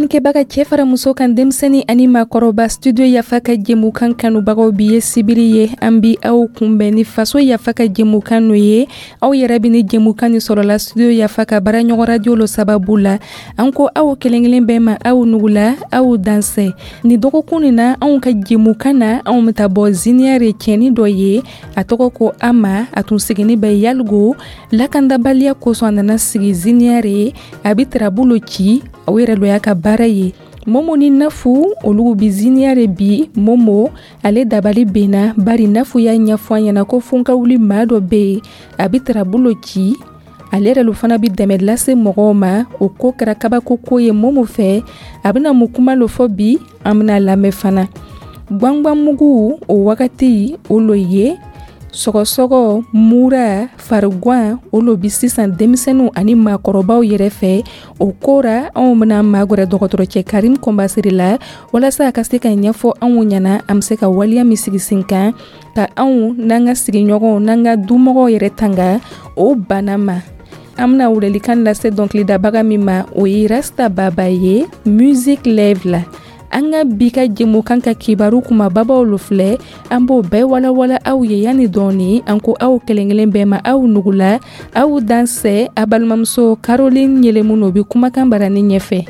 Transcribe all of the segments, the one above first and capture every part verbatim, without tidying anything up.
Lamɛnnikɛbaga, cɛ fara muso kan, denmisɛnnin ani maakɔrɔba, Studio Yafa ka jɛmukan kanubagaw, bi ye sibiri ye. An bi aw kunbɛn ni Faso Yafa ka jɛmukan no ye. Aw yɛrɛ bi ni jɛmukan ni sɔrɔla Studio Yafa ka baaraɲɔgɔn radio lo sababu la. An ko aw kelen kelen bɛɛ ma, aw nugula, aw dansɛ. Ni dɔgɔkun nin na, anw ka jɛmukan na, anw bɛ taa bɔ Ziniyare cɛni dɔ ye, a tɔgɔ ko Ama. A tun sigini bɛ Yaligo. Lakandabaliya kosɔn, a nana sigi Ziniyare. A bɛ tarabu ci, o yɛrɛ lo y'a ka baara ye. Momo ni Nafu, olu bi Ziniyare bi. Momo, ale dabali benna, bari Nafu y'a ɲɛfɔ a ɲɛna ko fonkawuli maa dɔ bɛ yen, a bɛ tarabu ci, ale yɛrɛ lo fana bɛ dɛmɛ lase mɔgɔw ma. O ko kɛra kabako ko ye Momo fɛ. A bɛna mun kuma lo fɔ bi? An bɛna lamɛn fana. Gwangwanmugu, o wagati o lo ye sɔgɔsɔgɔ, mura, fariguan, o lo bi sisan denmisɛnninw ani maakɔrɔbaw yɛrɛ fɛ. O ko ra, anw bɛna magɛrɛ dɔgɔtɔrɔcɛ Karim Kɔnbasiri la, walasa a ka se ka ɲɛfɔ anw ɲɛna an bɛ se ka waleya min sigi sen kan ka anw n'an ka sigiɲɔgɔnw n'an ka dumɔgɔw yɛrɛ tanga o bana ma. An bɛna welelikan lase dɔnkilidabaga min ma, o ye Rasta Baba ye, Music Live la. An ka bi ka jɛmukan ka kibaru kumababaw lo filɛ, an b'o bɛɛ walawala aw ye yanni dɔɔni. An ko aw kelen kelen bɛɛ ma, aw nugula, aw dansɛ. A balimamuso Caroline Yelemu no bi kumakan barani ɲɛfɛ.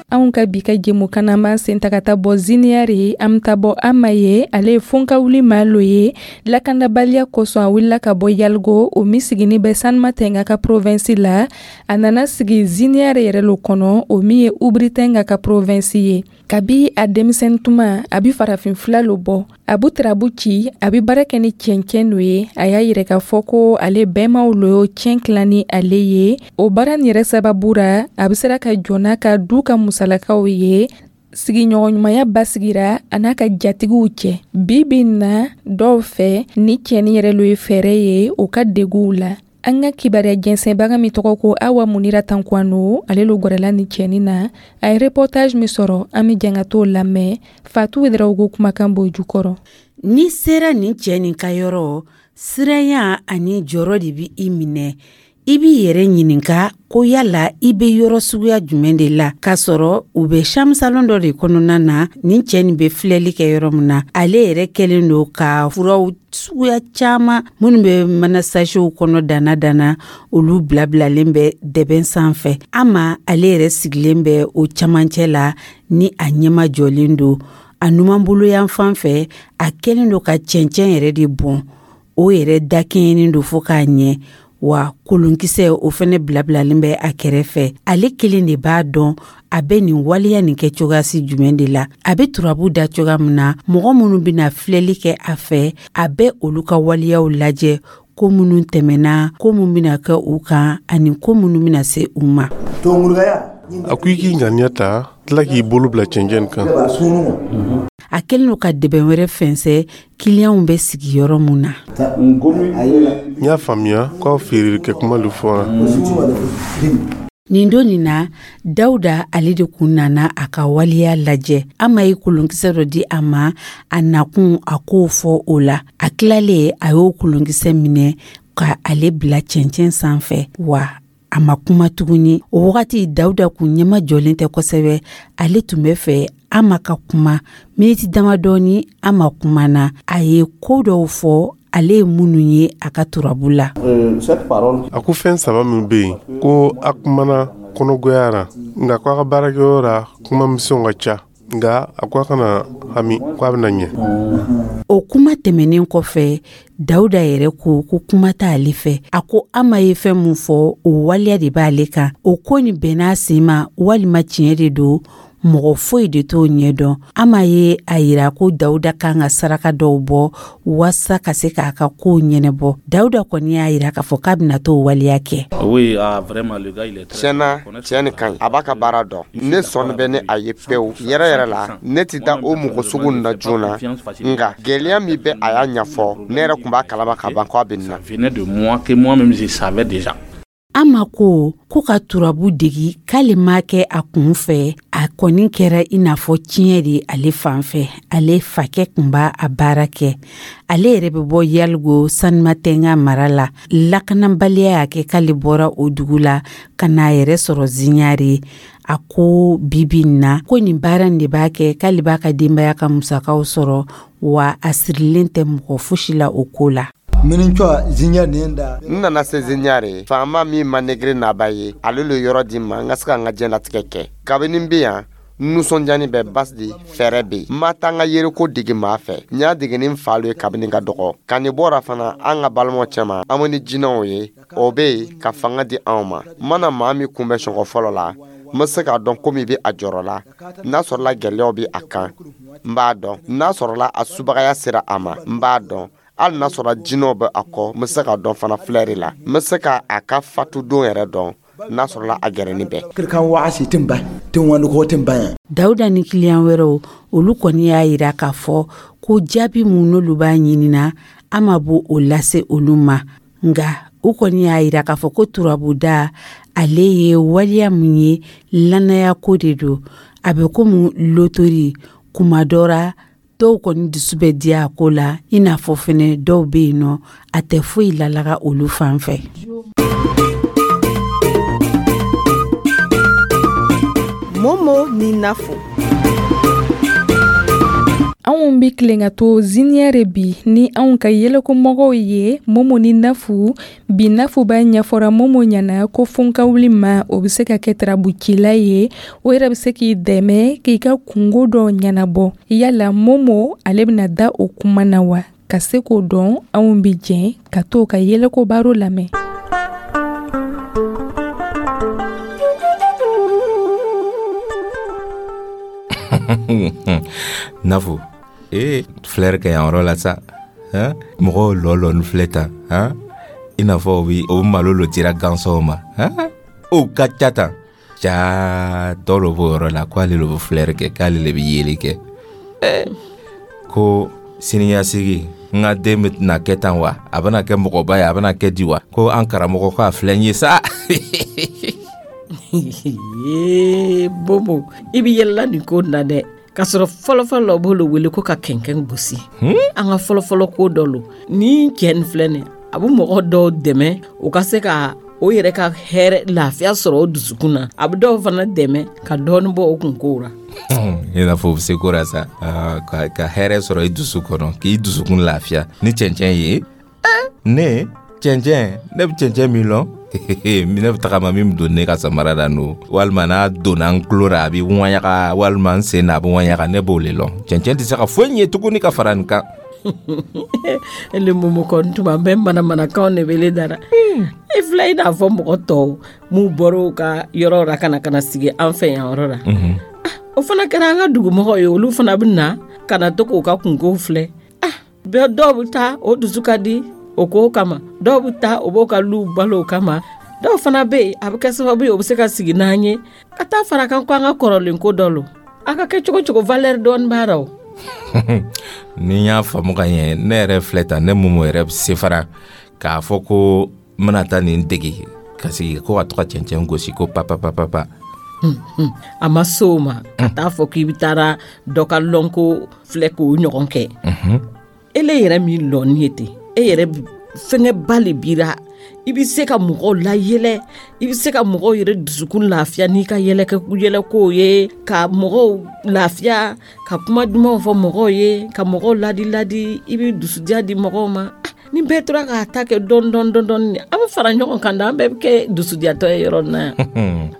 Anw ka bi ka jɛmukan na, an b'an sen ta ka taa bɔ Ziniyare. An bɛ taa bɔ Ama ye. Ale ye fonkawuli maa lo ye. Lakandabaliya kosɔn, a wulila ka bɔ Yaligo, o min sigini bɛ Sanuma Tɛnga ka province la. A nana sigi Ziniyare yɛrɛ lo kɔnɔ, o min ye Uburitɛnga ka province ye. Kabi a denmisɛnnin tuma, a bi farafin fila lo bɔ, a bu tarabu ci, a bi baara kɛ ni cɛncɛn lo ye. A y'a yɛrɛ k'a fɔ ko ale bɛɛmaw lo y'o tiɲɛ tilan ni ale ye. O baara nin yɛrɛ sababu ra, a bɛ sera ka jɔ n'a ka du ka musalakaw ye. Sigiɲɔgɔnɲumanya basigira a n'a ka jatigiw cɛ. Bi bi na, dɔw fɛ, ni cɛni yɛrɛ lo ye fɛɛrɛ ye o ka deguw la. An ka kibaruya jɛnsɛnbaga min tɔgɔ ko Awa Munira Tankwano, ale lo gwɛrɛla ni cɛni na. A ye reportage min sɔrɔ, an bɛ jɛn ka t'o lamɛn. Fatu Wedarawogo kumakan b'o jukɔrɔ. N'i sera nin cɛ nin ka yɔrɔ, siranya ani jɔrɔ de bi i minɛ. I b'i yɛrɛ ɲininka ko yala i bɛ yɔrɔ suguya jumɛn de la, k'a sɔrɔ u bɛ chambre salon dɔ de kɔnɔna na. Nin cɛ nin bɛ filɛli kɛ yɔrɔ min na, ale yɛrɛ kɛlen don ka furaw suguya caman minnu bɛ mana sachetw kɔnɔ danna danna, olu bilabilalen bɛ dɛbɛn sanfɛ. Ama, ale yɛrɛ sigilen bɛ o camancɛ la ni a ɲɛma jɔlen don. A numanbolo yan fan fɛ, a kɛlen don ka cɛncɛn yɛrɛ de bɔn, o yɛrɛ dakɛɲɛnen don fo k'a ɲɛ wa. Kolonkisɛ, o fɛnɛ bilabilalen bɛ a kɛrɛfɛ. Ale kelen de b'a dɔn a bɛ nin waleya nin kɛ cogoyasi jumɛn de la. A bɛ turabu da cogoya min na, mɔgɔ minnu bɛna filɛli kɛ a fɛ, a bɛ olu ka waleyaw lajɛ, ko minnu tɛmɛna, ko minnu bɛna kɛ u kan ani ko minnu bɛna se u ma. A ko i k'i ŋaniya ta, tila k'i bolo bila cɛncɛn kan. A kɛlen don ka dɛbɛn wɛrɛ fɛnsɛ kiliyanw bɛ sigi yɔrɔ mun na. N y'a faamuya k'aw feerelikɛ kuma lo fɔra. Nin don nin na, Dawuda, ale de kun nana a ka waleya lajɛ. Ama ye kolonkisɛ dɔ di a ma, a nakun a k'o fɔ o la. A tilalen, a y'o kolonkisɛ minɛ ka ale bila cɛncɛn sanfɛ wa a ma kuma tuguni. O wagati, Dawuda kun ɲɛma jɔlen tɛ kosɛbɛ. Ale tun bɛ fɛ Ama ka kuma. Miniti damadɔni, Ama kumana. A ye ko dɔw fɔ, ale ye minnu ye a ka turabu la. A ko fɛn saba min bɛ yen, ko a kumana kɔnɔgoya ra, nka ko a ka baarakɛyɔrɔ la, kuma misɛnw ka ca, nka a ko a kana hami, ko a bɛna ɲɛ. O kuma tɛmɛnen kɔfɛ, Dawuda yɛrɛ ko ko kuma t'ale fɛ. A ko Ama ye fɛn min fɔ, o waleya de b'ale kan. O ko nin bɛnn'a sen ma walima tiɲɛ de don, mɔgɔ foyi de t'o ɲɛdɔn. Ama ye a yira ko Dawuda kan ka saraka dɔw bɔ waasa ka se k'a ka kow ɲɛnabɔ. Dawuda kɔni y'a yira k'a fɔ k'a bɛna t'o waleya kɛ. Tiɲɛna, cɛ nin ka ɲi, a b'a ka baara dɔn. Ne sɔnni bɛ ni a ye pewu yɛrɛ yɛrɛ la. Ne tɛ da o mɔgɔ sugu nin na joona, nka gɛlɛya min bɛ, a y'a ɲɛfɔ, ne yɛrɛ tun b'a kalama ka ban k'a bɛ nin na. Ama ko ko ka turabu degi k'ale m'a kɛ a kun fɛ, a kɔni kɛra i n'a fɔ tiɲɛ de ale fan fɛ. Ale fakɛ kun b'a a baara kɛ. Ale yɛrɛ bɛ bɔ Yaligo Sanumatenga mara la. Lakanabaliya y'a kɛ k'ale bɔra o dugu la ka n'a yɛrɛ sɔrɔ Ziɲare. A ko bibi in na ko nin baara in de b'a kɛ k'ale b'a ka denbaya ka musakaw sɔrɔ, wa a sirilen tɛ mɔgɔ fosi la o ko la. N nana se Ziɲare, faama min ma negere naba ye, ale le yɔrɔ di n ma n ka se ka n ka diɲɛlatigɛ kɛ. Kabini n bɛ yan, nisɔndiyani bɛ basidi fɛɛrɛ bɛ yen. N ma taa n ka yereko dege maa fɛ, n y'a dege ni n fa lo ye kabini n ka dɔgɔ. Ka nin bɔra fana an ka balimaw cɛma, an bɛ ni jinɛw ye, o bɛ yen ka fanga di anw ma. N mana maa min kunbɛn siɲɛ fɔlɔ la, n bɛ se k'a dɔn komi bɛ a jɔrɔ la. N'a sɔrɔla gɛlɛyaw bɛ a kan, n b'a dɔn. N'a sɔrɔla a subagaya sera a ma, n b'a dɔn. Hali n'a sɔrɔ jinɛw bɛ a kɔ, n bɛ se k'a dɔn fana filɛri la. N bɛ se ka a ka fatudon yɛrɛ dɔn n'a sɔrɔla a gɛrɛni bɛɛ. Dawuda ni kiliyan wɛrɛw, olu kɔni y'a yira k'a fɔ ko jaabi mun n'olu b'a ɲinina, Ama b'o o lase olu ma. Nka u kɔni y'a yira k'a fɔ ko turabuda ale ye waleya mun ye, lanaya ko de don. A bɛ komi lotori, kuma dɔ ra dɔw kɔni dusu bɛ diya a ko la, i n'a fɔ fɛnɛ dɔw bɛ yen nɔ a tɛ foyi lalaga olu fan fɛ. Momo ni Nafo. Anw bi tilen ka to Ziniyɛre bi ni anw ka yɛlɛkomɔgɔw ye Momo ni Nafu. Bi Nafu b'a ɲɛfɔra Momo ɲɛna ko fonkawuli ma o bɛ se ka kɛ tarabucila ye, o yɛrɛ bɛ se k'i dɛmɛ k'i ka kungo dɔ ɲɛnabɔ. Yala Momo ale bɛna da o kuma na wa? Ka se k'o dɔn, anw bi jɛn ka t'o ka yɛlɛko baro lamɛn. Nafu, ee filɛri kɛ yan yɔrɔ la sa, mɔgɔw lɔ lɔ ni filɛ tan, i n'a fɔ o bi o malo lo dira gansɔw ma, o ka ca tan. Ja dɔ lo b'o yɔrɔ la ko ale lo bɛ filɛri kɛ, k'ale le bɛ yeli kɛ. Ko siniɲɛsigi n ka den bɛna kɛ tan wa, a bɛna kɛ mɔgɔba ye, a bɛna kɛ di wa? Ko an karamɔgɔ ko a filɛ n ye sa. Bobo, i bɛ yɛlɛla nin ko na dɛ. K'a sɔrɔ fɔlɔfɔlɔ la u b'olu wele ko ka kɛnkɛn gosi. An ka fɔlɔfɔlɔ ko dɔ lo. Ni cɛ nin filɛ nin, a bɛ mɔgɔ dɔw dɛmɛ u ka se ka o yɛrɛ ka hɛrɛ lafiya sɔrɔ o dusukun na. A bɛ dɔw fana dɛmɛ ka dɔɔnin bɔ o kunkow la. I n'a fɔ o bɛ se ko la sa, ka, ka hɛrɛ sɔrɔ i dusu kɔnɔ, k'i dusukun lafiya ni cɛncɛn ye. Ne cɛncɛn, ne bɛ cɛncɛn min lɔn, ne bɛ tagama min don ne ka samara la n'o, walima n'a donna n tulo la a bɛ ŋɔɲaga, walima n sen na a bɛ ŋɔɲaga, ne b'o le lɔn. Cɛncɛn tɛ se ka foyi ɲɛ tuguni ka fara nin kan. Ele Momo kɔni tuma bɛɛ manamanakanw de bɛ ne da la. E filɛ i n'a fɔ mɔgɔ tɔw m'u bɔra u ka yɔrɔ la ka na ka na sigi an fɛ yan yɔrɔ la. O fana kɛra an ka dugumɔgɔw ye, olu fana bɛ na ka na to k'u ka kunkow filɛ. Bɛɛ dɔw bɛ taa o dusu ka di o ko kama, dɔw bɛ taa o b'o ka luw balo o kama, dɔw fana bɛ yen a bɛ kɛ sababu ye o bɛ se ka sigi n'an ye ka taa fara kan ko an ka kɔrɔlen ko dɔ lo. A ka kɛ cogo cogo valeur dɔɔni b'a la o. Ni n y'a faamu ka ɲɛ, ne yɛrɛ filɛ tan, ne Momo yɛrɛ bɛ se fana k'a fɔ ko n bɛna taa nin dege ka sigi ko ka to ka cɛncɛn gosi ko papapapapa. A ma se o ma ka taa fɔ k'i bɛ taara dɔ ka lɔnko filɛ k'o ɲɔgɔn kɛ. Ele yɛrɛ min lɔnni ye ten, e yɛrɛ fɛngɛba le b'i la. I bɛ se ka mɔgɔw layɛlɛ, i bɛ se ka mɔgɔw yɛrɛ dusukun lafiya n'i ka yɛlɛkɛ yɛlɛkow ye, ka mɔgɔw lafiya, ka kuma dumanw fɔ mɔgɔw ye, ka mɔgɔw ladi ladi, i bɛ dusudiya di mɔgɔw ma. Ni bɛɛ tora k'a ta kɛ dɔɔni dɔɔni dɔɔni, an bɛ fara ɲɔgɔn kan da, an bɛɛ bɛ kɛ dusudiyatɔ ye yɔrɔ in na yan.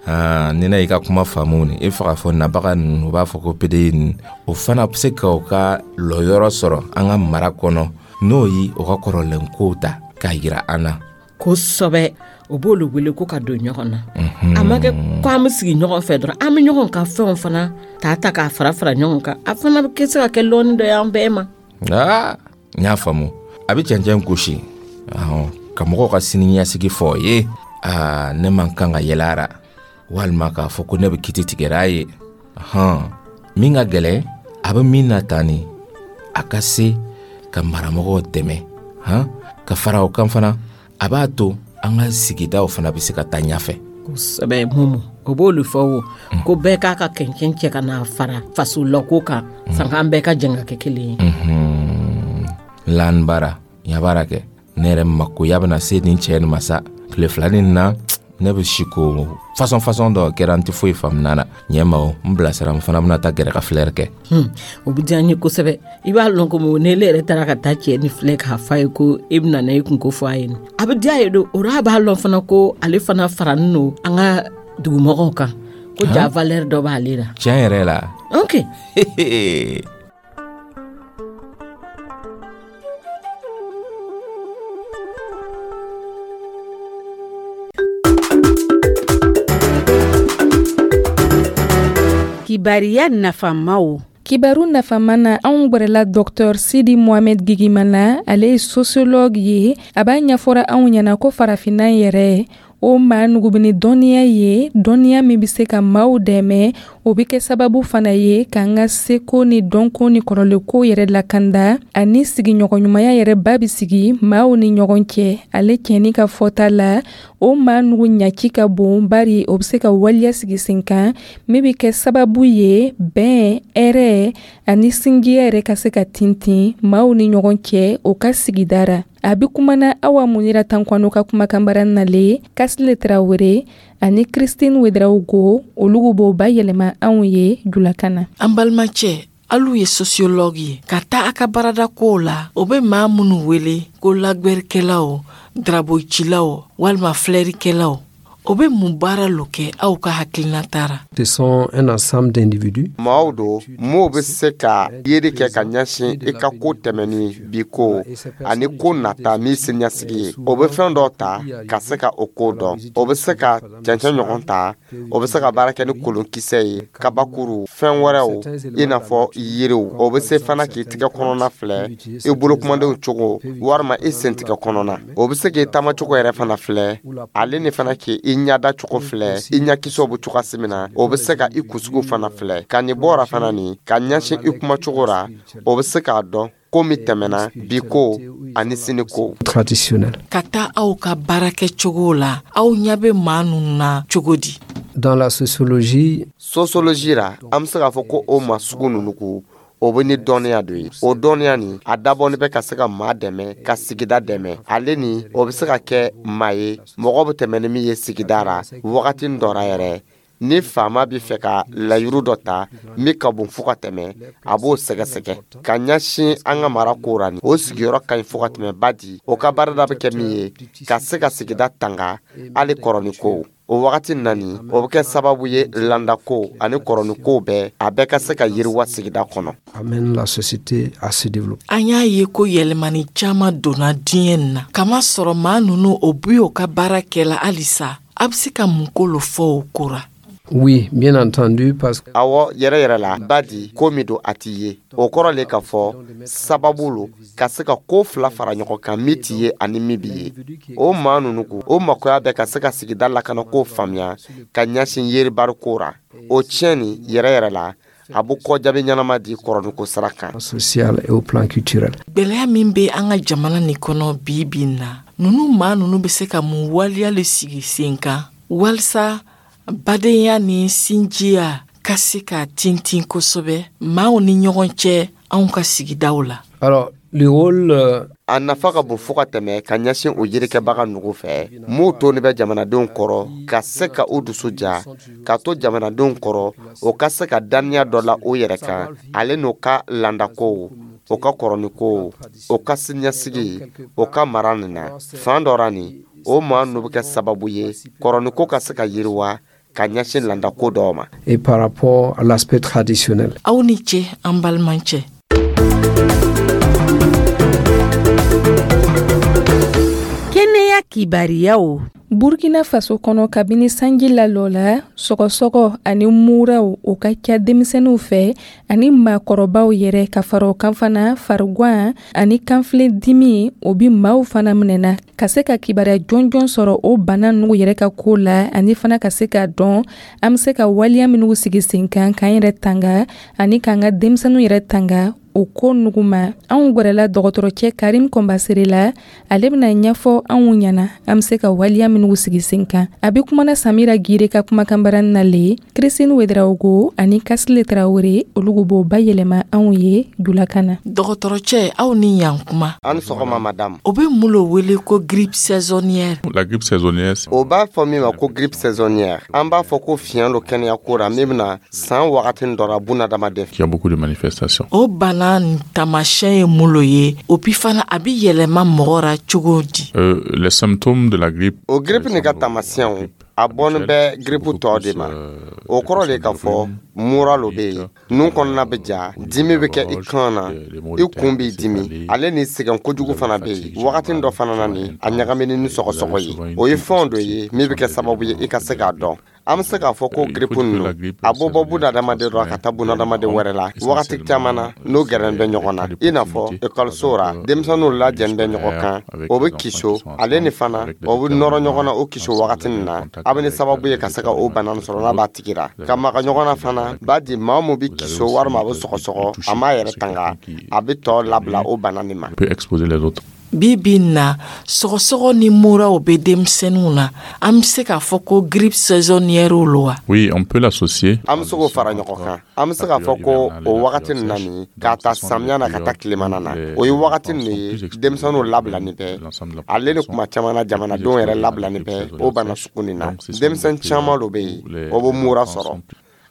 Aa, ni ne y'i ka kuma faamu ni e fɛ k'a fɔ nabaga ninnu, u b'a fɔ ko P D I ninnu, o fana bɛ se ka u ka lɔyɔrɔ sɔrɔ an ka mara kɔnɔ, n'o ye u ka kɔrɔlen kow ta k'a yira an na. Kosɛbɛ, o b'olu wele ko ka don ɲɔgɔn na. A ma kɛ ko an bɛ sigi ɲɔgɔn fɛ dɔrɔn, an bɛ ɲɔgɔn ka fɛnw fana ta ta k'a fara fara ɲɔgɔn kan. A fana bɛ se ka kɛ lɔnni dɔ ye an bɛɛ ma. Aa, n y'a faamu. A bɛ cɛncɛn gosi ka mɔgɔw ka sini ɲɛsigi fɔ o ye. Aa, ne man kan ka yɛlɛ a ra, walima k'a fɔ ko ne bɛ kiti tigɛra a ye. Hɔn, min ka gɛlɛn, a bɛ min na tan ni, a ka se ka maramɔgɔw dɛmɛ, han, ka fara o kan fana, a b'a to An ka sigidaw fana bɛ se ka taa ɲɛfɛ. Kosɛbɛ Momo, o b'olu fɔ o ko bɛɛ k'a ka kɛncɛn cɛ ka n'a fara faso lako kan, sanko an bɛɛ ka jɛn ka kɛ kelen ye. Lanbara yabara kɛ, ne yɛrɛ makoya bɛna se nin cɛ nin ma sa. Tile fila nin na, ne bɛ si ko fasɔn fasɔn dɔ kɛra, n tɛ foyi faamuna na. Ɲɛ ma o, n bilasira, n fana bɛna taa gɛrɛ ka filɛri kɛ. O bɛ diya n ye kosɛbɛ. I b'a lɔn ko ne yɛrɛ taara ka taa cɛ ni filɛ k'a f'a ye ko e bɛna na i kunko fɔ a ye, a bɛ diya ye don o a b'a lɔn fana ko ale fana faranin don an ka dugumɔgɔw kan, ko ja valeur dɔ b'ale la. Tiɲɛ yɛrɛ la. Ok. Kibariya nafamaw. Kibaru nafama na, anw gwɛrɛla Dɔktɔr Sidi Mohamed Gigimana, ale ye sociologue ye. A b'a ɲɛfɔra anw ɲɛna ko farafinna yɛrɛ o maa nugu bɛ ni dɔnniya ye, dɔnniya min bɛ se ka maaw dɛmɛ, o bɛ kɛ sababu fana ye k'an ka seko ni dɔnko ni kɔrɔlenko yɛrɛ lakanda, ani sigiɲɔgɔnɲumanya yɛrɛ ba bɛ sigi maaw ni ɲɔgɔn cɛ. Ale cɛni ka fɔta la, o maa nugu ɲaci ka bon, bari o bɛ se ka waleya sigi sen kan min bɛ kɛ sababu ye bɛn, hɛrɛ ani sinjiya yɛrɛ ka se ka tintin maaw ni ɲɔgɔn cɛ o ka sigida ra. A bɛ kumana Awa Munira Tankwano ka kumakanbara nalen, Kasile Tarawele ani Christine Ouedraogo, olu b'o bayɛlɛma anw ye julakan na. An balimacɛ, alu ye sociologue ye, ka taa a ka baarada kow la, o bɛ maa minnu wele ko lagwɛrikɛlaw, darabocilaw walima filɛrikɛlaw, o bɛ mun baara lo kɛ aw ka hakilinata ra? Ce sont un ensemble d'individus. Maaw don m'o bɛ se ka yeri kɛ ka ɲɛsin i ka ko tɛmɛni, bi ko ani ko nata min siniɲɛsigi ye. O bɛ fɛn dɔ ta ka se ka o ko dɔn. O bɛ se ka cɛncɛn ɲɔgɔn ta, o bɛ se ka baara kɛ ni kolonkisɛ ye, kabakuru, fɛn wɛrɛw i n'a fɔ yiriw. O bɛ se fana k'i tigɛ kɔnɔna filɛ, i bolokumadenw cogo walima i sentigɛ kɔnɔna. O bɛ se k'i taamacogo yɛrɛ fana filɛ, ale ni fana k'i ɲada cogo filɛ, i ɲakisɛw bɛ cogoya min na. O bɛ se ka i kunsigiw fana filɛ. Ka nin bɔra fana nin ka ɲɛsin i kumacogo ra, o bɛ se k'a dɔn ko min tɛmɛna, bi ko ani sini ko. Traditionnel. Ka taa aw ka baarakɛcogo la, aw ɲɛ bɛ maa ninnu na cogo di? Dans la sociologie, sociologie ra, an bɛ se k'a fɔ ko o maa sugu ninnu ko o bɛ ni dɔnniya dɔ ye. O dɔnniya nin, a dabɔni bɛ ka se ka maa dɛmɛ ka sigida dɛmɛ. Ale ni o bɛ se ka kɛ maa ye, mɔgɔ bɛ tɛmɛ ni min ye sigida ra wagati dɔ ra yɛrɛ. Ni faama bɛ fɛ ka layiru dɔ ta min ka bon fo ka tɛmɛ, a b'o sɛgɛsɛgɛ ka ɲɛsin an ka mara ko ra. Ni o sigiyɔrɔ ka ɲi fo ka tɛmɛ, ba di o ka baarada bɛ kɛ min ye ka se ka sigida tanga hali kɔrɔni ko. O wagati nani, o bɛ kɛ sababu ye landako ani kɔrɔnikow bɛɛ, a bɛɛ ka se ka yiriwa sigida kɔnɔ. Amène la société à se développer. An y'a ye ko yɛlɛmani caaman donna diɲɛ nin na, kama sɔrɔ maa nunu o bi o ka baara kɛla halisa. A be se ka mun ko lo fɔ o ko ra? Oui, bien entendu, parce que Awɔ, yɛrɛ yɛrɛ la, ba di ko min don, a t'i ye. O kɔrɔ le k'a fɔ sababu lo ka se ka ko fila fara ɲɔgɔn kan, min t'i ye ani min b'i ye. O maa ninnu ko o makoya bɛ ka se ka sigida lakana ko faamuya ka ɲɛsin yeribari ko ra. O tiɲɛ nin yɛrɛ yɛrɛ la, a bɛ kɔjaabi ɲɛnama di kɔrɔniko sira kan. Social et au plan culturel. Gwɛlɛya min be an ka jamana nin kɔnɔ bi bi in na, nunu maa nunu be se ka mun waleya le sigi sen kan walisa badenya ni sinjiya ka se ka tintin kosɛbɛ maaw ni ɲɔgɔn cɛ anw ka sigidaw la? Alors, le rôle euh, A nafa ka bon fo ka tɛmɛ ka ɲɛsin o yirikɛbaga nugu fɛ m'o toni bɛ jamanadenw kɔrɔ, ka se ka o dusu ja ka to jamanadenw kɔrɔ, o ka se ka daniya dɔ la o yɛrɛ kan, ale n'o ka landakow, o ka kɔrɔnikow, o ka siniɲɛsigi, o ka mara nin na. Fan dɔ ra nin, o maa ninnu bɛ kɛ sababu ye kɔrɔniko ka se ka yiriwa ka ɲɛsin landako dɔw ma. Et par rapport à l'aspect traditionnel. Aw ni ce, an balimacɛ. Kɛnɛya kibariyaw. Burkina Faso kɔnɔ, kabini sanji lalɔ la, sɔgɔsɔgɔ ani muraw o ka ca denmisɛnninw fɛ ani maakɔrɔbaw yɛrɛ. Ka fara o kan fana, farigwan ani kanfilen dimi, o bi maaw fana minɛna. Ka se ka kibaruya jɔnjɔn sɔrɔ o bana nugu yɛrɛ ka ko la, ani fana ka se k'a dɔn an be se ka waleya minnu sigi sen kan k'an yɛrɛ tanga ani k'an ka denmisɛnninw yɛrɛ tanga o ko nugu ma? Anw gwɛrɛla dɔgɔtɔrɔcɛ Karim Kɔnbasere la, ale bɛna ɲɛfɔ anw ɲɛna an bɛ se ka waleya minnu sigi sen kan. A bɛ kumana Samira Gire ka kumakanbarani na le, Christine Ouedraogo ani Kasile Traoré, olu b'o bayɛlɛma anw ye julakan na. Dɔgɔtɔrɔcɛ, aw ni yan kuma. An sɔgɔma, madame. O bɛ mun lo wele ko grippe saisonnière? La grippe saisonnière, O b'a fɔ min ma ko grippe saisonnière, an b'a fɔ ko fiɲɛ lo kɛnɛya ko ra min bɛna san wagati dɔ ra bunadamaden. Il y a beaucoup de manifestations. O bana nin taamasiyɛn ye mun lo ye? O bi fana, a bi yɛlɛma mɔgɔ ra cogo di? Euh, les symptômes de la grippe. O grippe nin ka taamasiyɛnw, a bɔnin bɛ grippe tɔ de ma. O kɔrɔ de ka fɔ mura lo bɛ yen, nun kɔnɔna bɛ ja, dimi bɛ kɛ i kan na, i kun b'i dimi, ale ni sɛgɛn kojugu fana bɛ yen. Wagati dɔ fana na ni a ɲagamini ni sɔgɔsɔgɔ ye, o ye fɛnw dɔ ye min bɛ kɛ sababu ye i ka se k'a dɔn. An bɛ se k'a fɔ ko grippe ninnu, a bɔ bɔ bunadamaden dɔ ka taa bunadamaden wɛrɛ la wagati caman na, n'o gɛrɛn bɛ ɲɔgɔn na, i n'a fɔ ekɔliso ra denmisɛnninw lajɛlen bɛ ɲɔgɔn kan, o bɛ kiso, ale ni fana o bɛ nɔrɔ ɲɔgɔn na. O kiso wagati nin na, a bɛ ni sababu ye ka se ka o bana sɔrɔ n'a b'a tigi ra ka maga ɲɔgɔn na fana. B'a di maa mun bɛ kiso walima a bɛ sɔgɔsɔgɔ, a m'a yɛrɛ tanga, a bɛ tɔ labila o bana nin ma. Peut exposer les autres. Bi bi in na, sɔgɔsɔgɔ ni muraw bɛ denmisɛnninw na. An bɛ se k'a fɔ ko grippe saisonnière lo wa? Oui, on peut l'associer. An bɛ se k'o fara ɲɔgɔn kan. An bɛ se k'a fɔ ko o wagati nin na nin, k'a ta samiya na ka taa tilemana na, o ye wagati nin ye denmisɛnninw labilani bɛ, ale ni kuma caman na jamanadenw yɛrɛ labilani bɛ o bana sugu nin na. Denmisɛn caman dɔ bɛ yen, o bɛ mura sɔrɔ.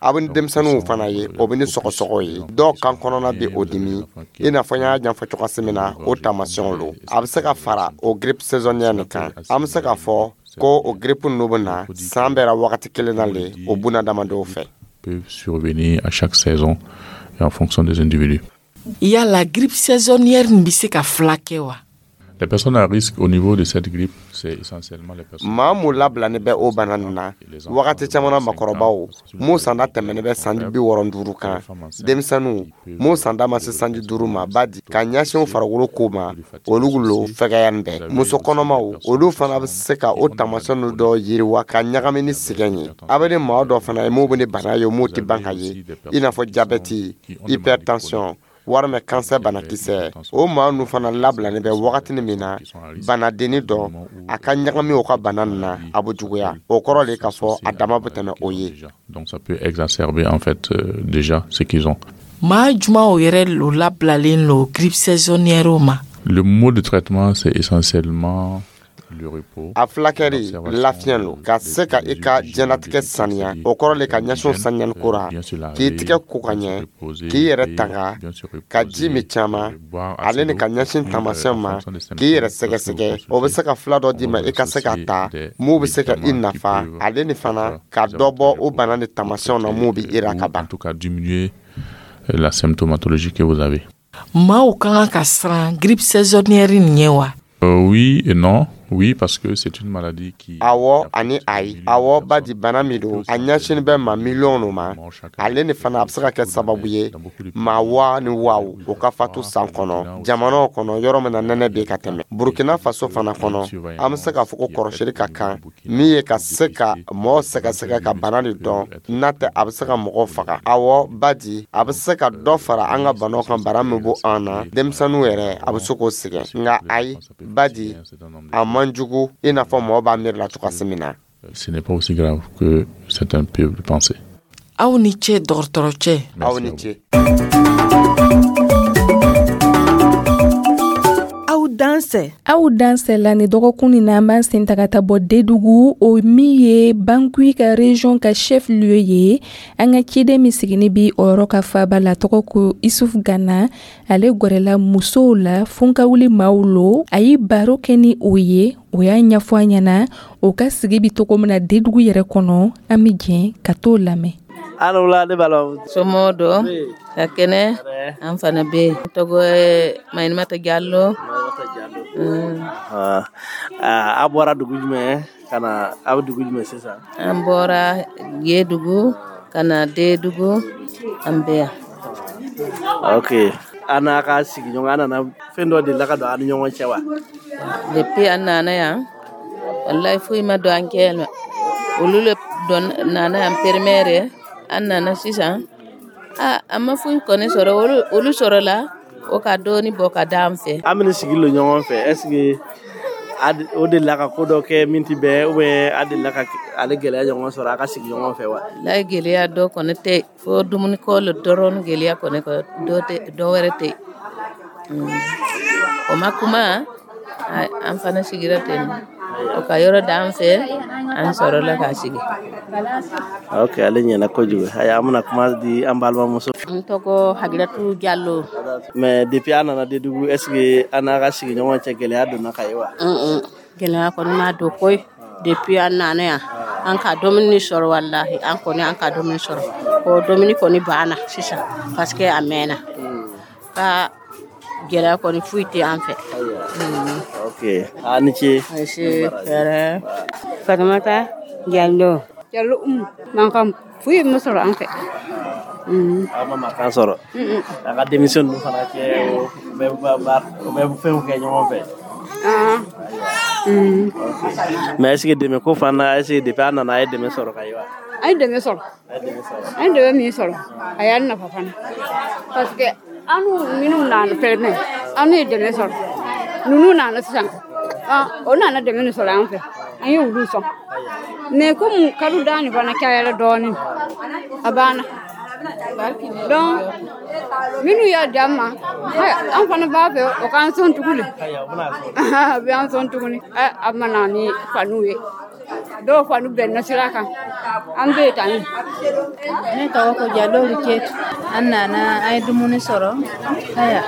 A bɛ ni denmisɛnninw fana ye, o bɛ ni sɔgɔsɔgɔ ye, dɔw kan kɔnɔna bɛ o dimi, i n'a fɔ n y'a ɲɛfɔ cogoya min na, o taamasiyɛnw lo. A bɛ se ka fara o grippe saisonnière nin kan. An bɛ se k'a fɔ ko o grippe ninnu bɛ na san bɛɛ wagati kelen na le o bunadamadenw fɛ. Peuvent survenir à chaque saison et en fonction des individus. Yala grippe saisonnière nin bɛ se ka fila kɛ wa? Les personnes à risque au niveau de cette grippe, c'est essentiellement les personnes. Maa mun labilani bɛ o bana nin na wagati caman na, makɔrɔbaw mun sanda tɛmɛnen bɛ sanji bi wɔɔrɔ duuru kan, denmisɛnninw mun sanda ma se sanji duuru ma, ba di ka ɲɛsin farikolo ko ma, olu lo fɛgɛya bɛɛ. Muso kɔnɔmaw, olu fana bɛ se ka o taamasiyɛn dɔ yiriwa ka ɲagami ni sɛgɛn ye. A bɛ ni maa dɔ fana ye mun bɛ ni bana ye mun tɛ ban ka ye, i n'a fɔ jabɛti, hypertension walima kansɛ banakisɛ, o maa ninnu fana labilalen bɛ wagati min na banadenni dɔ a ka ɲagami o ka bana nin na, a bɛ juguya. O kɔrɔ de k'a fɔ a dama bɛ tɛmɛ o ye. Donc ça peut exacerber en fait euh, déjà ce qu'ils ont. Maa jumaw yɛrɛ lo labilalen lo grippe saisonnière ma? Le mode de traitement, c'est essentiellement le repos. A fulakɛri, lafiɲɛ lo, ka se ka i ka diɲɛlatigɛ saniya. O kɔrɔ le ka ɲɛsin saniyali ko ra, k'i tigɛ ko ka ɲɛ, k'i yɛrɛ tanga, ka ji min caman, ale ni ka ɲɛsin taamasiyɛn ma, k'i yɛrɛ sɛgɛsɛgɛ. O bɛ se ka fila dɔ d'i ma i ka se ka ta mun bɛ se ka i nafa, ale ni fana ka dɔ bɔ o bana ni taamasiyɛnw na mun bɛ i ra ka ban. En tout cas, diminuer la symptomatologie que vous avez. Maaw ka kan ka siran grippe saisonnière nin ɲɛ wa? Euh, oui et non. Oui, parce que c'est une maladie qui. Awɔ ani ayi. Awɔ, ba di bana min don, a ɲɛsini bɛ maa miliyɔn no ma, ale ni fana a bɛ se ka kɛ sababu ye maa waa ni waaw o ka fatu san kɔnɔ jamanaw kɔnɔ yɔrɔ min na nɛnɛ bɛ ka tɛmɛ. Burukina Faso fana kɔnɔ, an bɛ se k'a fɔ ko kɔrɔsili ka kan min ye ka se ka mɔgɔ sɛgɛsɛgɛ ka bana de dɔn, n'a tɛ a bɛ se ka mɔgɔw faga. Awɔ, ba di a bɛ se ka dɔ fara an ka banaw kan, bana min bɔ an na, denmisɛnninw yɛrɛ a bɛ se k'o sɛgɛn. Nka ayi, ba di a man jugu i n'a fɔ mɔgɔ b'a miiri la cogoya min na. Ce n'est pas aussi grave que certains peuvent le penser. Aw ni ce, dɔgɔtɔrɔcɛ. Aw ni ce. Aw dansɛ. Aw dansɛ la ni dɔgɔkun nin na, an b'an sen ta ka taa bɔ Dedugu, o min ye Bankui ka région ka chef lieu ye. An ka ciden min sigini bi o yɔrɔ ka faaba la, tɔgɔ ko Isuf Gana, ale gwɛrɛla musow la funkawuli maaw lo. A ye baro kɛ ni o ye, o y'a ɲɛfɔ an ɲɛna o ka sigi bi togo min na Dedugu yɛrɛ kɔnɔ. An be jɛn ka t'o lamɛn. Alula, ne b'a la. Somɔgɔw don ka kɛnɛ? An fana bɛ yen. Tɔgɔ ye Mayimata Jalo. A bɔra dugu jumɛn ka na? Aw bɛ dugu jumɛn sisan? An bɔra Yedugu ka na Dedugu, an bɛ yan. Ok, an n'a ka sigiɲɔgɔn, an nana fɛn dɔ delila ka don an ni ɲɔgɔn cɛ wa? Depuis an nana yan, walayi, foyi ma don an cɛ ma. Olu le don nana yan première, an nana sisan. A an ma foyi kɔni sɔrɔ, olu olu sɔrɔla. O ka dɔɔni bɔ ka d'an fɛ. An bɛna sigi lo ɲɔgɔn fɛ, est ce que o delila ka ko dɔ kɛ min tɛ bɛn, ou bien a delila ka ale gɛlɛya ɲɔgɔn sɔrɔ a ka sigi ɲɔgɔn fɛ wa? Layi, gɛlɛya dɔ kɔni tɛ, fo dumuni ko le dɔrɔn. Gɛlɛya kɔni dɔ tɛ, dɔ wɛrɛ tɛ. O ma kuma, an fana sigira ten, o ka yɔrɔ d'an fɛ, an sɔrɔla k'a sigi. Ok, ale ɲɛna kojugu. Ayi, an bɛna kuma di an balimamuso. N tɔgɔ Hagiratu Jalo. Mais depuis a nana Dédougou, est ce que an n'a ka sigiɲɔgɔn cɛ, gɛlɛya donna ka ye wa? Gɛlɛya kɔni ma don koyi. Depuis an nana yan, an ka dumuni sɔrɔ. Walahi, an kɔni, an ka dumuni sɔrɔ. O dumuni kɔni banna sisan parce que a mɛnna ka gɛlɛya kɔni foyi tɛ an fɛ. Ok, a ni ce. Hɛrɛ. Fatumata Jalo. Jalo Umu. Mankan foyi ma sɔrɔ an fɛ. Aw ma mankan sɔrɔ a ka denmisɛn ninnu fana cɛ, o bɛ o bɛ fɛnw kɛ ɲɔgɔn fɛ? Mais est ce que dɛmɛ ko fana, est ce que depuis a nana, a ye dɛmɛ sɔrɔ ka ye wa? An ye dɛmɛ sɔrɔ. An ye dɛmɛ min sɔrɔ, a y'an nafa fana, parce que an minnu nana fɛnɛ, an ye dɛmɛ sɔrɔ. Ninnu nana sisan, o nana dɛmɛ nin sɔrɔ an fɛ, an ye olu sɔn. Mais komi kalo da nin fana cayara dɔɔnin, a banna. Donc minnu y'a di an ma, an fana b'a fɛ o k'an sɔn tuguni, a bɛ an sɔn tuguni. A ma na ni faniw ye, dɔw fani bɛnna sira kan, an bɛ tan. Ne tɔgɔ ko Jalo Cetu. An nana, an ye dumuni sɔrɔ. Aya,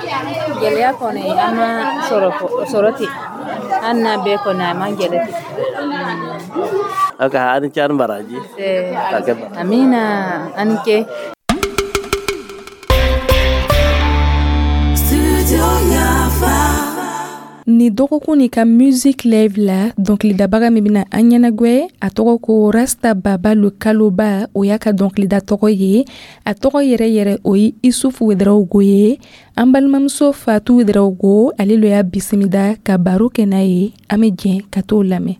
gɛlɛya kɔni an ma sɔrɔ sɔrɔ ten. An n'a bɛɛ kɔni, a man gɛlɛ ten. Ok, a ni ce, ani baraji. Amina, ani ce. Ni dɔgɔkun ni ka Music Live la, dɔnkilidabaga min bɛna an ɲɛnagwɛ, a tɔgɔ ko Rasta Baba le Kaloba. O y'a ka dɔnkilida tɔgɔ ye. A tɔgɔ yɛrɛ yɛrɛ, o ye Isufu Wedarawogo ye. An balimamuso Fatu Wedarawogo, ale lo y'a bisimila ka baro kɛ n'a ye. An bɛ jɛn ka t'o lamɛn.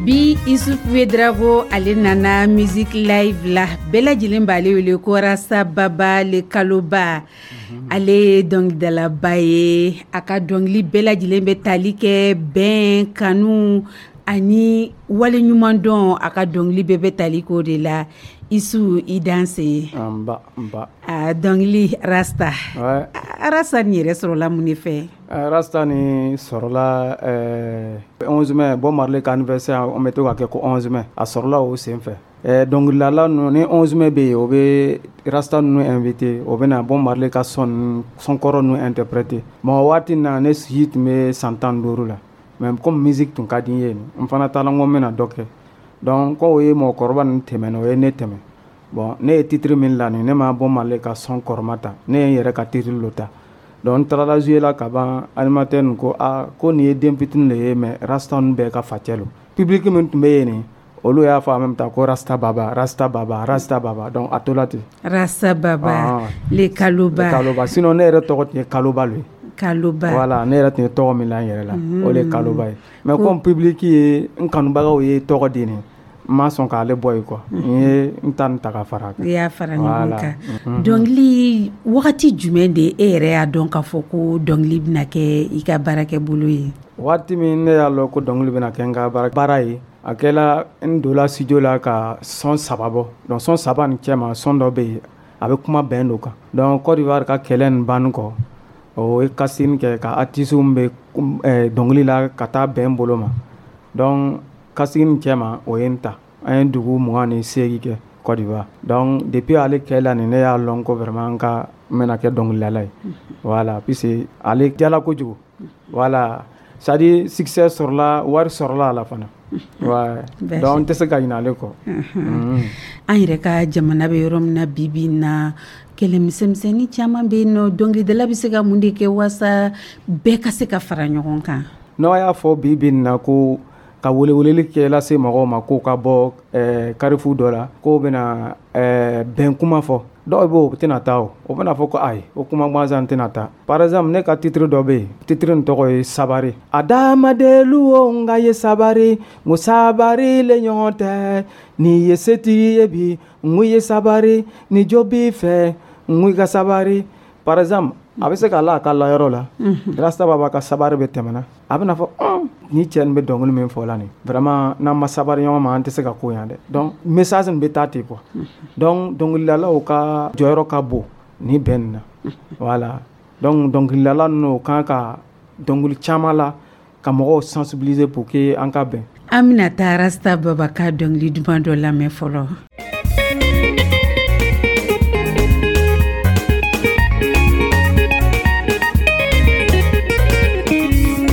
Bi, Isuf Ouedraogo, ale nana Music Live la. Bɛɛ lajɛlen b'ale wele ko Rasta Baba le Kaloba. Ale ye dɔnkilidalaba ye. A ka dɔnkili bɛɛ lajɛlen bɛ tali kɛ bɛn, kanu ani waleɲumandɔn. A ka dɔnkili bɛɛ bɛ tali k'o de la. Isu, i danse. Nba nba. A dɔnkili Rasta. Ouais. Rasta nin yɛrɛ sɔrɔla mun de fɛ? Rasta ni sɔrɔla ɛɛ onze mai, Bob Marley ka anniversaire, an bɛ to ka kɛ ko onze mai. A sɔrɔla o sen fɛ. Ɛɛ dɔnkilidala ninnu ni onze mai bɛ yen, o bɛ Rasta ninnu invité, o bɛ na Bob Marley ka son son kɔrɔ ninnu interpréter. Bon, o waati na, ne si tun bɛ san tan ni duuru la. Mais comme musique tun ka di n ye, n fana taara n ko n bɛna dɔ kɛ. Donc ko o ye mɔgɔkɔrɔba ninnu tɛmɛ, o ye ne tɛmɛ. Bon, ne ye titre min la nin, ne ma Bob Marley ka son kɔrɔma ta, ne ye n yɛrɛ ka titre lo ta. Donc n taara jouer la ka ban, animateur nin ko a ko nin ye den fitinin de ye, mais Rasta ninnu bɛɛ ka facɛ lo. Public min tun bɛ yen nin, olu y'a fɔ en même temps ko Rasta Baba, Rasta Baba, Rasta Baba. Donc a tola ten. Rasta Baba le Kaloba. Le Kaloba. Sinon ne yɛrɛ tɔgɔ tun ye Kaloba lo ye. Kaloba. Voilà, ne yɛrɛ tun ye tɔgɔ min la n yɛrɛ la, o de ye Kaloba ye. Mais comme public ye n kanubagaw ye tɔgɔ di nin, n ma sɔn k'ale bɔ yen quoi. N ye n ta nin ta ka fara a kan. I y'a fara ɲɔgɔn kan. Dɔnkili, wagati jumɛn de e yɛrɛ y'a dɔn k'a fɔ ko dɔnkili bɛna kɛ i ka baarakɛ bolo ye? Waati min ne y'a lɔn ko dɔnkili bɛna kɛ n ka baara ye, a kɛla n donna studio la ka son saba bɔ. Donc son saba nin cɛma, son dɔ bɛ yen, a bɛ kuma bɛn do kan. Donc Côte d'Ivoire ka kɛlɛ nin banni kɔ, o ye casting kɛ ka artistes bɛ dɔnkili la ka taa bɛn bolo ma. Donc casting nin cɛma, o ye n ta. An ye dugu mugan ni seegin kɛ Côte d'Ivoire. Donc depuis ale kɛla nin, ne y'a lɔn ko vraiment n ka n bɛna kɛ dɔnkilidala ye. Voilà, puisque ale diyala kojugu. Voilà, c'est à dire succès sɔrɔla, wari sɔrɔla a la fana. Ouais. Donc n tɛ se ka ɲinɛ ale kɔ. An yɛrɛ ka jamana bɛ yɔrɔ min na bi bi in na, kɛlɛ misɛnmisɛnnin caman bɛ yen nɔ. Dɔnkilidala bɛ se ka mun de kɛ walasa bɛɛ ka se ka fara ɲɔgɔn kan? N'aw y'a fɔ bi bi in na ko ka weleweleli kɛ lase mɔgɔw ma k'o ka bɔ ɛɛ carrefour dɔ la, k'o bɛna ɛɛ bɛn kuma fɔ. Dɔw bɛ yen, o tɛna taa, o o bɛna fɔ ko ayi, o kuma gansan tɛna taa. Par exemple, ne ka titre dɔ bɛ yen, titre nin tɔgɔ ye Sabari. Adamadelu o, n ka ye sabari, n ko sabari le ɲɔgɔn tɛ. N'i ye setigi ye bi, n ko i ye sabari. Ni jo b'i fɛ, n ko i ka sabari. Par exemple, a bɛ se ka la a ka layɔrɔ la, Rasta Baba ka sabari bɛ tɛmɛna, a bɛna fɔ ni cɛ nin bɛ dɔnkili min fɔ la nin, vraiment, n'an ma sabari ɲɔgɔn ma, an tɛ se ka ko yan dɛ. Donc message nin bɛ taa ten quoi. Donc dɔnkilidalaw ka jɔyɔrɔ ka bon ni bɛn nin na. Voilà, donc dɔnkilidala ninnu, o kan ka dɔnkili caman la ka mɔgɔw sensibiliser pour que an ka bɛn. An bɛna taa Rasta Baba ka dɔnkili duman dɔ lamɛn fɔlɔ.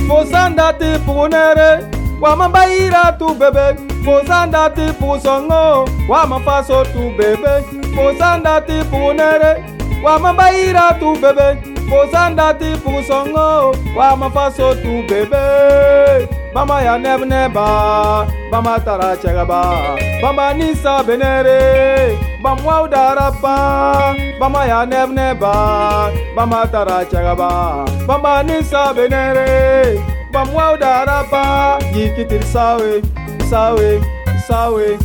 Fosanda ti pugunere wama bayira tu bebe. Fosanda ti pugusɔngɔ wama faso tu bebe. Fosanda ti pugunere wama bayira tu bebe. Fosanda ti pugusɔngɔ wama faso tu bebe. Bama ya nɛbnɛba, bama tara cɛgaba, bama ni sabenere, bamwaw darapa. Bama ya nɛbnɛba, bama tara cɛgaba, bama ni sabenere, bamwaw darapa. Yikitiri sawe, sawe, sawe,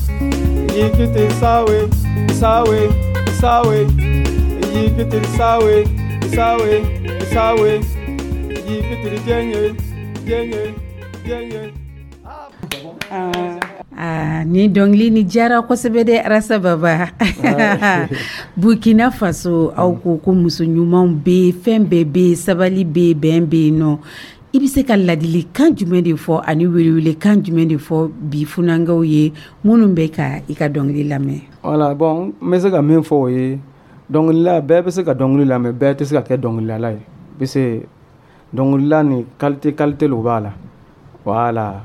yikitiri sawe, sawe, sawe, yikitiri sawe, sawe, sawe, yikitiri jɛnye, jɛnye, jɛnye. Ah, ni dɔnkili ni diyara kosɛbɛ dɛ, Rasta Baba. Burkina Faso, aw ko ko muso ɲumanw bɛ yen, fɛn bɛɛ bɛ yen, sabali bɛ yen, bɛn bɛ yen nɔ. I bɛ se ka ladilikan jumɛn de fɔ ani welewelekan jumɛn de fɔ bi funankɛw ye minnu bɛ ka i ka dɔnkili lamɛn? Voilà, bon, n bɛ se ka min fɔ o ye, dɔnkilila, bɛɛ bɛ se ka dɔnkili lamɛn, bɛɛ tɛ se ka kɛ dɔnkilidala ye, parce dɔnkilila ni qualité qualité lo b'a la. Voilà,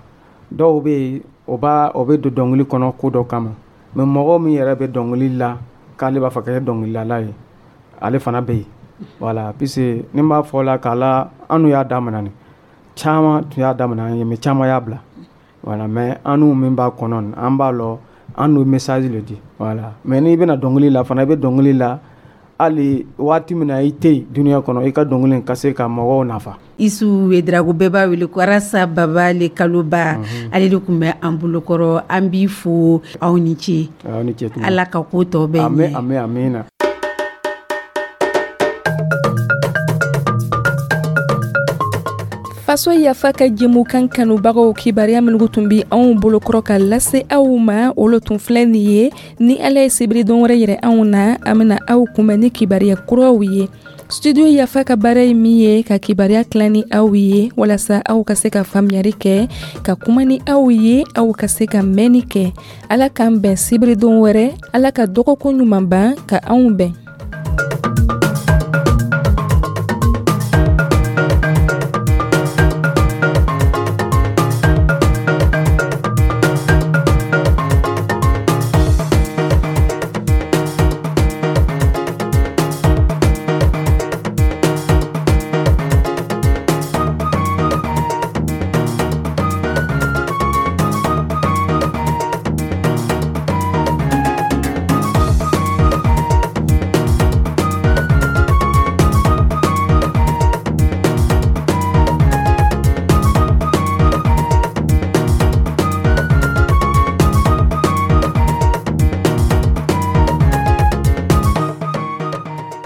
dɔw bɛ yen, o b'a o bɛ don dɔnkili kɔnɔ ko dɔ kama, mais mɔgɔ min yɛrɛ bɛ dɔnkili la k'ale b'a fɛ ka kɛ dɔnkilidala ye, ale fana bɛ yen. Voilà, puisque ni n b'a fɔ la k'a la, an n'u y'a daminɛ, nin caman tun y'a daminɛ an ye, mais caman y'a bila. Voilà, mais an n'u min b'a kɔnɔ, an b'a lɔ, an n'u message le di. Voilà, mais n'i bɛna dɔnkili la fana, i bɛ dɔnkili la hali waati min na i tɛ yen dunuya kɔnɔ, i ka dɔnkili ka se ka mɔgɔw nafa. Isu Wedrago, bɛɛ b'a wele ko Rasta Baba le Kaloba, ale de tun bɛ an bolokɔrɔ. An b'i fo, aw ni ce. Aw ni ce. Ala ka ko tɔ bɛɛ ɲɛ. Ami, amina. Faso Yafa ka jɛmukan kanubagaw, kibaruya minnu tun bɛ anw bolokɔrɔ ka lase aw ma, olu tun filɛ nin ye. Ni Ala ye sibiri don wɛrɛ yɛrɛ anw na, an bɛna aw kunbɛn ni kibaruya kuraw ye. Studio Yafa ka baara ye min ye, ka kibaruya tilan ni aw ye walasa aw ka se ka faamuyali kɛ, ka kuma ni aw ye, aw ka se ka mɛnni kɛ. Ala k'an bɛn sibiri don wɛrɛ. Ala ka dɔgɔkun ɲuman ban ka anw bɛn.